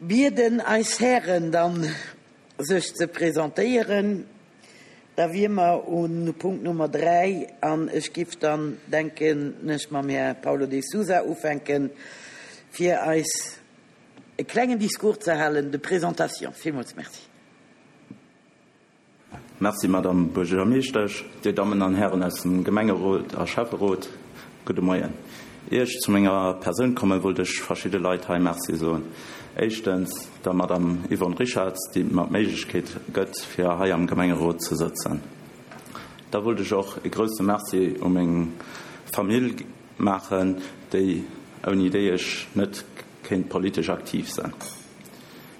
bieden eis Hären dann sech ze presentéieren. Da wier mer u Punkt Nummer 3 an ech giff dann, denken ech, mam Här Paulo de Sousa ufänken, fir eis e klengen Discours ze halen de présentation. Villmools Merci. Merci, Madame Buergermeeschtesch, Dir Dammen an Hären aus dem Gemengerot a Schäfferot, gudde Moien. Ier ech zu menger Persoun kommen, wollt ech verschidde Leit hei Merci soen. Éischtens der Madame Yvonne Richartz, déi mer d'Méiglechkeet gëtt, fir hei am Gemengerot ze sëtzen. Da wollt ech och e grousse Merci u meng Famill maachen, déi, ouni déi ech net kéint politesch aktiv sinn.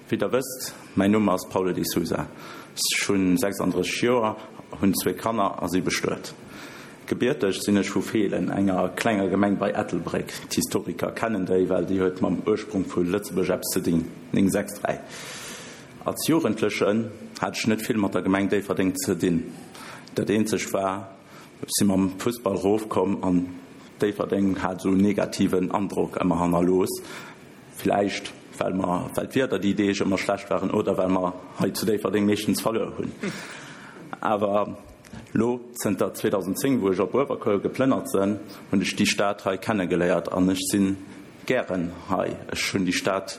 Wéi der wësst, mäin Numm ass Paulo de Sousa. Ech hunn 36 Joer, hunn zwee Kanner a si bestuet. Gebierteg sinn ech vu Feelen, enger klenger Gemeng bei Ettelbréck. D'Historiker kennen déi, well déi huet mam Ursprung vu Lëtzebuerg eppes ze dinn. 963. Als Jugendlechen hat ech net vill mat der Gemeng Déifferdeng ze dinn. Dat eenzegt war, ech si mam Fussball rofkomm an Déifferdeng hat esou en negativen Androck ëmmer hannerlooss. Villäicht well mer, well d'Wieder déi Deeg ëmmer schlecht waren oder well mer hei zu Déifferdeng meeschtens verluer hunn. Awer lo, zënter 2010, wou ech op Uewerkuer geplënnert sënn, hunn ech déi Stad hei kennegeléiert an ech sinn gären hei. Ech hunn déi Stad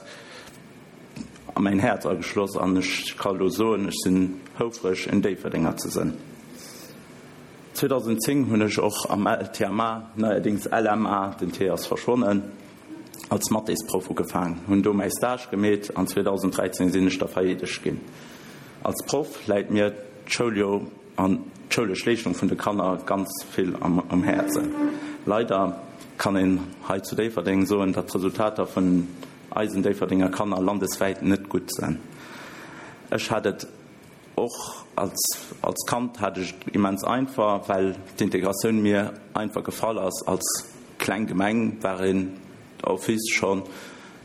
a mäin Häerz ageschloss an ech ka lo soen, ech sinn houfreg en Déifferdenger ze sënn. 2010 hunn ech och am LTMA, neierdéngs LMA, den T ass verschwonnen, als Mathésproff ugefaang, hunn do mäi Stage gemeet an 2013 sinn ech da vereedegt ginn. Als Proff läit mir d'Schoul jo an d'schoulesch Leeschtung vun de Kanner ganz vill um Häerzen. Leider kann een hei zu Déifferdeng soen, datt d'Resultater vun eisen Déifferdenger Kanner landeswäit net gutt sinn. Ech hat et Och als als Kand hat ech et immens einfach, well d'Integratioun mir einfach gefall ass. Als kleng Gemeng war een d'office scho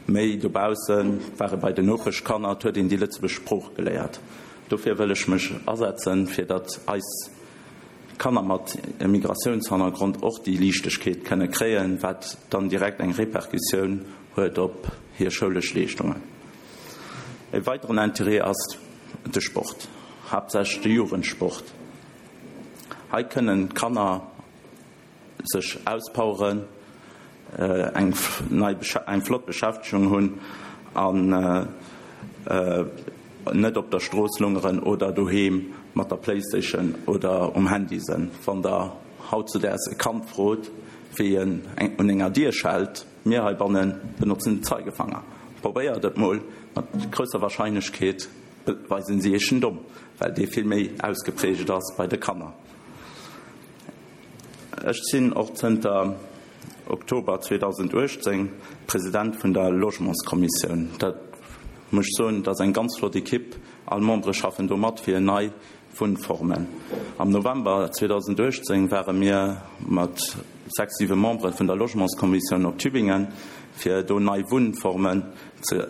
méi dobaussen, war ee bei den Nopeschkanner, et huet een déi lëtzebuerg Sprooch geléiert. Dofir wëll ech mech asetzen, fir datt eis Kanner mat Migratiounshannergrond och déi Liichtegkeet kënne kréien, wat dann direkt eng Repercussioun huet op hir schoulesch Leeschtungen. E weideren Interêt ass de Sport, haaptsächlech de Jugendsport. Hei kënnen d'Kanner sech auspoweren, eng nei eng flott Beschäftegung hunn an net op der Strooss lungeren oder doheem mat der Playstation oder um Handy sënn. Wann der hautzudaags e Kand frot, wéi en un enger Dier schellt, Mir heibanne benotzen den Zeigefanger. Probéiert et mol, mat grousser Wahrscheinlechkeet weisen si iech den Domm, well dee vill méi ausgeprägt ass bei de Kanner. Ech sinn och zënter Oktober 2018 President vun der Logementskommissioun. Dat muss ech soen, dat ass eng ganz flott Ekipp. All Membere schaffen do mat fir nei Wunnformen. Am November 2018 ware mir mat 6, 7 Membere vun der Logementskommissioun op Tübingen, fir do nei Wunnformen ze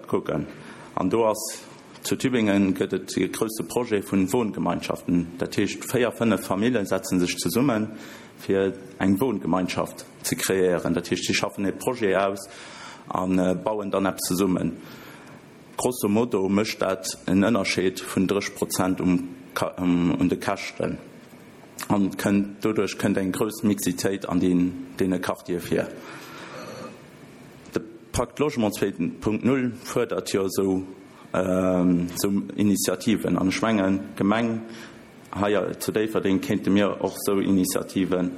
kucken. An do ass, zu Tübingen gëtt et e grousse Projet vun Wohngemeinschaften. Dat heescht, 4, 5 Famille setze sech zesummen, fir eng Wohngemeinschaft ze kreéieren. Dat heescht, si schaffen e Projet aus a bauen dann eppes zesummen. Grosso modo mécht dat en Ënnerscheed vun 30 Prozent un de Käschten an kënnt doduerch kënnt eng grouss Mixitéit an deene Quartiere vir. De Pacte Logement 2.0 fuerdert jo esou Initiativen an ech mengen d'Gemeng hei zu Déifferdeng kéinte mir och esou Initiative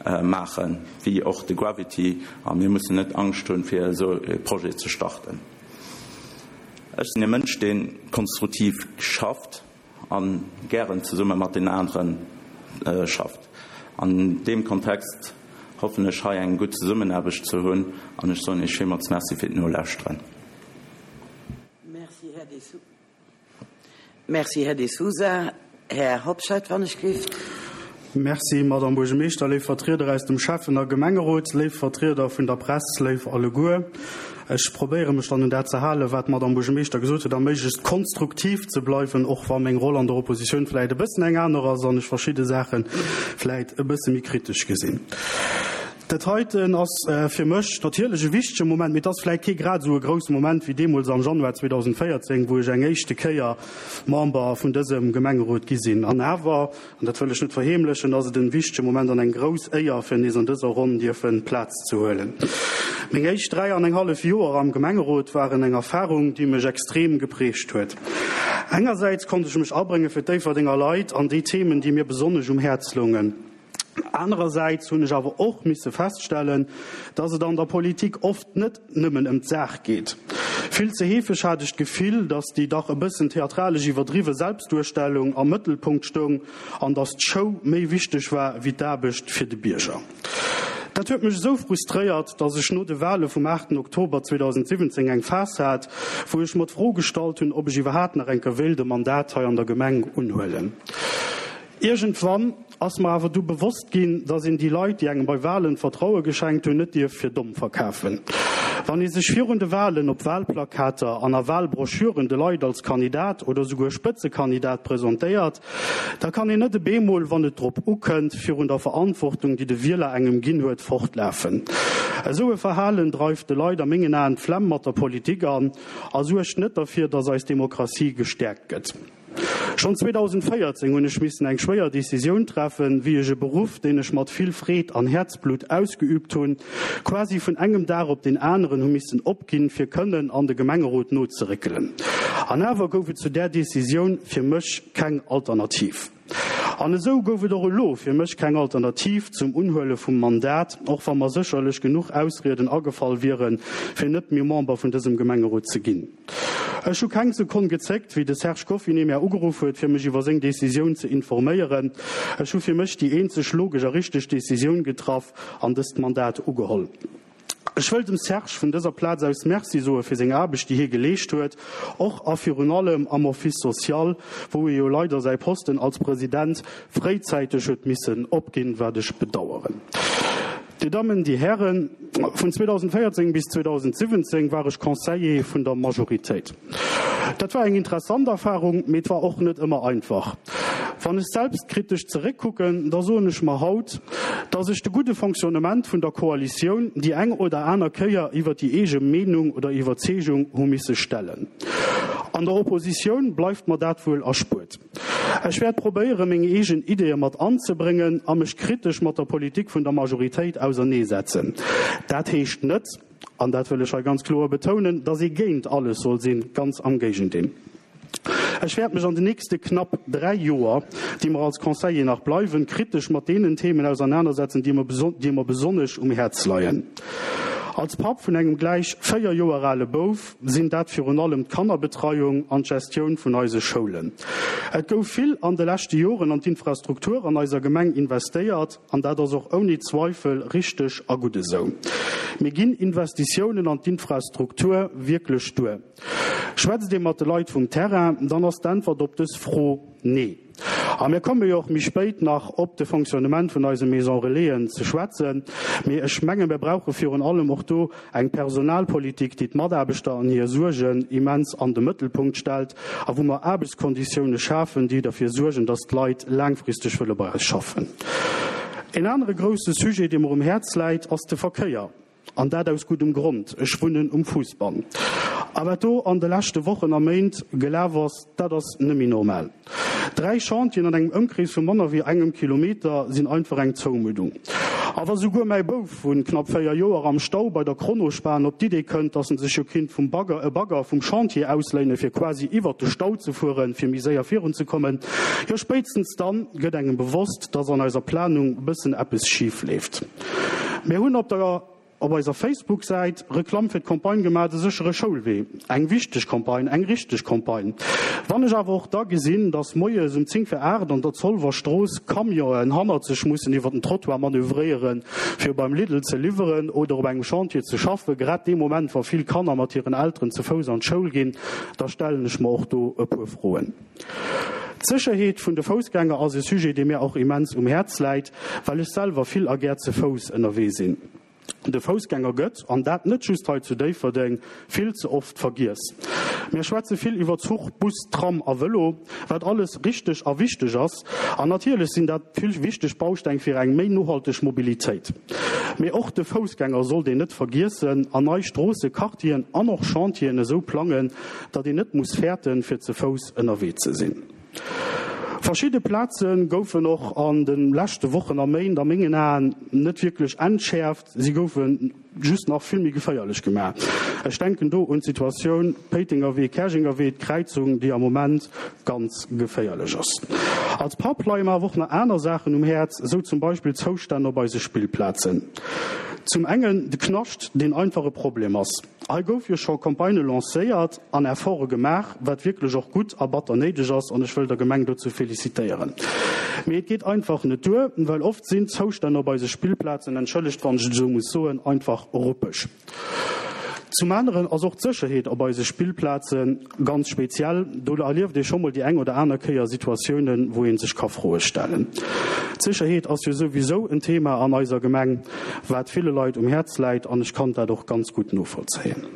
maachen, wéi och de Gravity a mir mussen net Angscht hunn, fir esou e Projet ze starten. Ech sinn e Mënsch, dee konstruktiv schafft a gären zesumme mat den anere schafft. An deem Kontext hoffen ech hei eng gutt Zesummenaarbecht ze hunn an ech soen Iech villmools Merci fir d'Nolauschteren. Merci, Här De Sousa. Här Hobscheit, wann ech gelift. Merci, Madame Buergermeeschter, léif Vertrieder aus dem Schäffen a Gemengerot, léif Vertrieder vun der Press, léif alleguer. Ech probéiere mech dann un dat ze halen, wat d'Madame Buergermeeschter gesot huet, a méiglechst konstruktiv ze bleiwen, och wa meng Roll an der Oppositioun vläicht e bëssen eng aner ass an ech verschidde Saache vläicht e bësse méi kritesch gesinn. Dat heiten ass fir mech natierlech e wichtege Moment, mee et ass vläit kee grad esou e grousse Moment wéi deemools am Januar 2014, wou ech eng éischte Kéier Member vun dësem Gemengerot gi sinn. An awer, an dat wëll ech net verheemlechen, ass et en wichtege Moment an eng grouss Éier, fir nees an dëser Ronn dierfe Plaz ze huelen. Meng éischt 3 an eng hallef Joer am Gemengerot waren eng Erfarung, déi mech extrem geprägt huet. Engersäits konnt ech mech abrénge fir d'Déifferdenger Leit an déi Themen, déi mir besonnesch um Häerz loungen. Anerersäits hunn ech awer och misse feststellen, dass et an der Politik oft net nëmmen ëm d'Saach geet. Vill ze heefeg hat ech d'Gefill, dass déi dach e bëssen theatralesch iwwerdriwwe Selbstduerstellung am Mëttelpunkt stoung an dass d'Show méi wichteg war wéi d'Aarbecht fir de Bierger. Dat huet mech esou frustréiert, dass ech no de Wale vum 8 Oktober 2017 eng Phas hat, wou ech mer d'Fro gestallt hunn, ob ech iwwerhaapt nach eng Kéier wéilt e Mandat hei an der Gemeng unhuelen. Iergendwann ass mer awer du bewosst ginn, dass een déi Leit, déi engem bei Walen d'Vertraue geschenkt hunn, net dierf fir domm verkafen. Wann ee sech virun de Walen op Walplakater an a Walbroschüren de Leit als Kandidat oder souguer Spëtzekandidat presentéiert, da kann een net e beemol, wann et drop ukënnt, virun der Verantwortung, déi de Wieler engem ginn huet, fortlafen. Esou e Verhalen dreift de Leit a mengen Aen d'Flemm mat der Politik an a suergt net derfir, dass eis Demokratie gestäerkt gëtt. Schonn 2014 hunn ech missen eng schwéier Decisioun treffen, wéi ech e Beruff, deen ech mat vill Freed an Häerzblutt ausgeüübt hunn, quasi vun engem Dag op deen aneren hu missen opginn, fir kënnen an de Gemengerot nozeréckelen. An awer gouf et zu där Decisioun fir mech keng Alternativ. An esou gouf et och elo fir mech keng Alternativ zum Unhuele vum Mandat, och wa mer sécherlech genuch Ausrieden agefall wieren, fir net méi Member vun dësem Gemengerot ze ginn. Ech hu keng Sekonn gezéckt, wéi de Serge Goffinet mär ugeruff huet, fir mech iwwer seng Decisioun ze informéieren. Ech hu fir mech déi eenzeg logesch a richteg Decisioun getraff an dëst Mandat ugeholl. Ech wëll dem Serge vun dëser Plaz aus Merci soe fir seng Aarbecht, déi hie geleescht huet, och a virun allem am Office social, wou e jo leider säi Posten als President fréizäiteg huet missen opginn, wat ech bedaueren. Dir Dammen, Dir Hären, vun 2014 bis 2017 war ech Conseiller vun der Majoritéit. Dat war eng interessant Erfahrung, mee et war och net ëmmer einfach. Wann ech selbstkritesch zeréckkucken, da soen ech mer haut, dass ech de gudde Fonctionnement vun der Koalitioun déi eng oder aner Kéier iwwer déi eege Meenung oder Iwwerzeegung hu misse stellen. An der Oppositioun bleift mer dat wuel erspuert. Ech wäert probéieren, meng eegen Ideeë mat anzebréngen a mech kritesch mat der Politik vun der Majoritéit auserneesetzen. Dat heescht net, an dat wëll ech hei ganz kloer betounen, dass ee géint alles soll sinn, ganz am Géigendeel. Ech wäert mech an den nächste knapp 3 Joer, déi mer als Conseiller nach bleiwen, kritesch mat deenen Themen ausernanersetzen, déi mer besonnesch um Häerz leien. Als Papp vun engem gläich 4 Joer ale Bouf sinn dat virun allem d'Kannerbetreiung an d'Gestioun vun eise Schoulen. Et gouf vill an de leschte Joren an d'Infrastruktur an eiser Gemeng investéiert an dat ass och ouni Zweifel richteg a gutt esou. Mee ginn Investitiounen an d'Infrastruktur wierklech duer? Schwätzt ee mat de Leit vum Terrain, dann ass d'Äntwert op dës Fro Nee. A mir komme jo och méi spéit nach op de Fonctionnement vun eise Maison Relaisen ze schwätzen. Mee ech menge mir brauche virun allem och do eng Personalpolitik, déi d'Mataarbechter an hir Suergen immens an de Mëttelpunkt stellt a wou mer Aarbechtskonditioune schafen, déi derfir suergen, dass d'Leit laangfristeg wëlle bei eis schaffen. En anere grousse Sujet, dee mer um Häerz läit, ass de Verkéier. An dat aus guddem Grond, ech wunnen um Fousbann. A wat do an de leschte Wochen a Méint gelaf ass, dat ass nëmmi normal. 3 Chantieren an engem Ëmkrees vu manner wéi engem Kilometer sinn einfach eng Zoumuddung. A wa souguer mäi Bouf vu knapp 4 Joer am Stau bei der Kronospan op d'Idee kënnt, dass en sech jo kinnt vum Bagger e Bagger vum Chantier ausléine fir quasi iwwert de Stau ze fueren, fir méi séier virunzekommen, jo spéitstens dann gëtt engem bewosst, dass an eiser Planung bëssen eppes schif leeft. Mir hunn op der op eiser Facebook-Säit Reklamm fir d'Campagne gemaach De séchere Schoulwee. Eng wichteg Campagne, eng richteg Campagne. Wann ech awer och da gesinn, datt moies um 10 vir 8 an der Zolwer Strooss Camionen hannert sech mussen iwwer den Trottoir manövréieren, fir beim Lidl ze liwweren oder op engem Chantier ze schaffen, grad dee Moment, wa vill Kanner mat hiren Elteren ze Fouss an d'Schoul ginn, da stellen ech mer och do e puer Froen. D'Sécherheet vun de Foussgänger ass e Sujet, dee mir och immens um Häerz läit, well ech selwer vill a gär ze Fouss ënnerwee sinn. De Foussgänger gëtt, an dat net just hei zu Déifferdeng, vill ze oft vergiess. Mir schwätze vill iwwer Zuch, Bus, Tram a Vëlo, wat alles richteg a wichteg ass. An natierlech sinn dat vill wichteg Bausteng fir eng méi nohalteg Mobilitéit. Mee och de Foussgänger sollt een net vergiessen an nei Stroosse, Quartieren an och Chantieren esou plangen, datt een net muss fäerten, fir ze Fouss ënnerwee ze sinn. Verschidde Plaze goufen och an de leschte Wochen a Méint a mengen Aen net wierklech entschäerft, si goufe just nach vill méi geféierlech gemaach. Ech denken do un d'Situatioun Péitenger Wee, Käerjenger Wee, d'Kräizung, déi am Moment ganz geféierlech ass. Als Papp leie mer awer och nach aner Saachen um Häerz, esou zum Beispill d'Zoustänn op eise Spillplazen. Zum engen de Knascht, deen einfach e Problem ass. Hei gouf jo scho Campagnë lancéiert an Efforte gemaach, wat wierklech och gutt a batter néideg ass, an ech wëll der Gemeng dozou felicitéieren. Mee et geet einfach net duer, well oft sinn d'Zoustänn op eise Spillplazen, entschëllegt wann ech et esou muss soen, einfach ruppeg. Zum aneren ass och d'Sécherheet op eise Spillplaze ganz speziell. Do erlieft ee scho mol déi eng oder aner Kéier Situatiounen, wou ee sech ka Froe stellen. D'Sécherheet ass jo souwisou en Thema an eiser Gemeng, wat ville Leit um Häerz läit, an ech kann dat och ganz gutt novollzéien.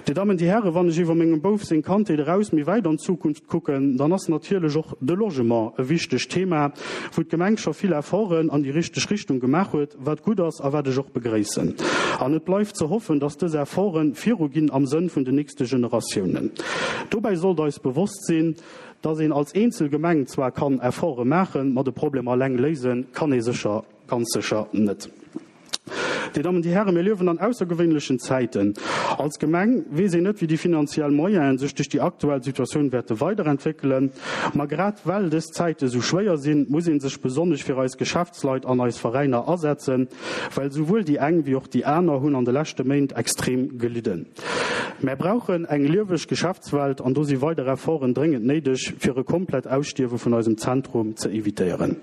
Dir Dammen, Dir Hären, wann ech iwwer mengem Bouf seng Kandheet eraus méi wäit an d'Zukunft kucken, dann ass natierlech och de Logement e wichtegt Thema, wou d'Gemeng scho vill Efforten an déi richteg Richtung gemaach huet, wat gutt ass a wat ech och begréissen. An et bleift ze hoffen, dass dës Efforte viruginn am Sënn vun den nächste Generatiounen. Dobäi sollt eis bewosst sinn, dass een als eenzel Gemeng zwar kann Efforte maachen, ma de Problem alleng léise kann ee sécher, ganz sécher net. Dir Dammen, Dir Hären, mir liewen an aussergewéinlechen Zäiten. Als Gemeng weess een net, wéi déi finanziell Moyenen sech duerch déi aktuell Situatioun wäerte weiderentwéckelen. Ma grad well dës Zäite sou schwéier sinn, muss ee sech besonnesch fir eis Geschäftsleit an eis Veräiner asetzen, well souwuel déi eng wéi och déi aner hunn an de leschte Méint extrem gelidden. Mär brauchen eng lieweg Geschäftswelt an do si weider Efforten dréngend néideg, fir e komplett Ausstierwe vun eisem Zentrum ze evitéieren.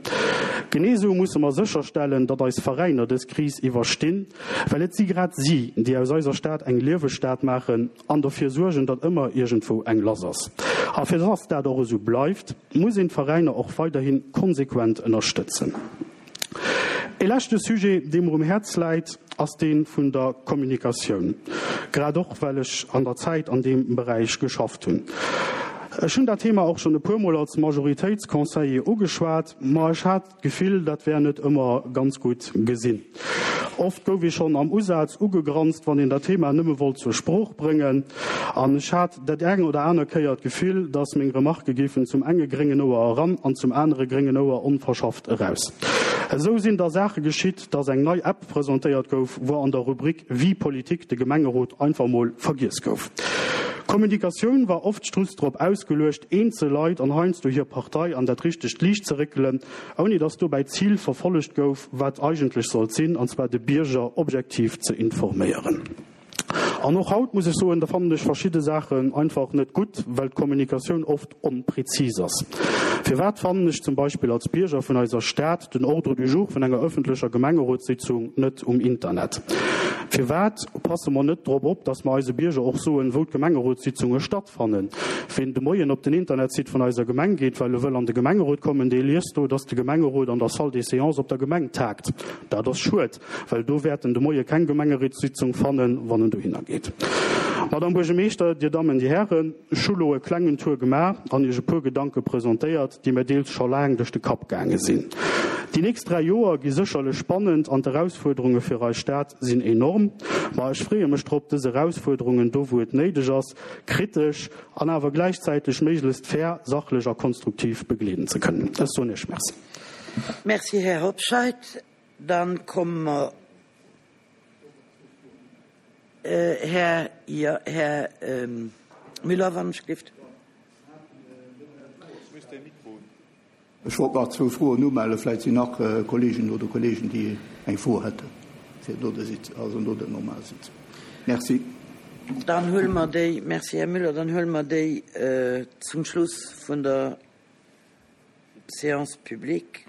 Genee esou musse mer sécherstellen, datt eis Veräiner dës Kris iwwerstinn, well et si grad si, déi aus eiser Stad eng lieweg Stad maachen an derfir suergen, datt ëmmer iergendwou eng lass ass. A fir datt dat och esou bleift, muss een d'Veräiner och weiderhi konsequent ënnerstëtzen. E leschte Sujet, dee mer um Häerz läit, ass dee vun der Kommunikatioun, grad och well ech an der Zäit an deem Beräich geschafft hunn. Ech hunn dat Thema och schonn e puermol als Majoritéitsconseiller ugeschwat, ma ech hat d'Gefill, dat wär net ëmmer ganz gutt gesinn. Oft gouf ee schonn am Usaz ugegranzt, wann een dat Thema nëmme wollt zur Sprooch bréngen. An ech hat dat eng oder aner Kéier d'Gefill, dass meng Remarke géifen zum enge gréngen Ouer eran an zum anere gréngen Ouer onverschafft eraus. Esou sinn da Saache geschitt, dass eng nei App presentéiert gouf, wou an der Rubrik Vie politique de Gemengerot einfach mol vergiess gouf. D'Kommunikatioun war oft just drop ausgeluecht, eenzel Leit an heiansdo hir Partei an dat richtegt Liicht ze réckelen, ouni dass dobäi d'Zil verfollegt gouf, wat eigentlech sollt sinn, an zwar de Bierger objektiv ze informéieren. An och haut muss ech soen, da fannen ech verschidde Saachen einfach net gutt, well d'Kommunikatioun oft onprezis ass. Firwat fannen ech zum Beispill als Bierger vun eiser Stad den Ordre du jour vun enger öffentlecher Gemengerotssitzung net um Internet? Firwat passe mer net drop op, dass mer eise Bierger och soen, wou d'Gemengerotssitzunge stattfannen? Ween de Moien op den Internetsite vun eiser Gemeng geet, well e wëll an de Gemengerot kommen, dee liest do, dass de Gemengerot an der Salle des séances op der Gemeng tagt. Dat ass schued, well do wäert en de Moie keng Gemengerotssitzung fannen, wann en dohinner geet. Madame Buergermeeschter, Dir Dammen, Dir Hären, ech hu lo e klengen Tour gemaach an Iech e puer Gedanke presentéiert, déi mir deels scho laang duerch de Kapp gaange sinn. Déi nächst 3 Joer gi sécherlech spannend an d'Erausfuerderunge fir eis Stad sinn enorm. Ma ech freeë mech drop, dës Erausfuerderungen do wou et néideg ass, kritesch an awer gläichzäiteg méiglechst fair, sachlech a konstruktiv begleeden ze kënnen. Ech soen Iech Merci. Merci, Här Hobscheit. Dann komme mer, Här, jo, Här Müller, wann ech gelift. Ech wollt nach zwou Froen umellen. Vläicht sinn nach Kolleeginnen oder Kolleegen, déi eng Fro hätten, fir no der Sitzung, also no der normaler Sitzung. Merci. Dann huele mer déi, merci, Här Müller, dann huele mer déi zum Schluss vun der Séance publique.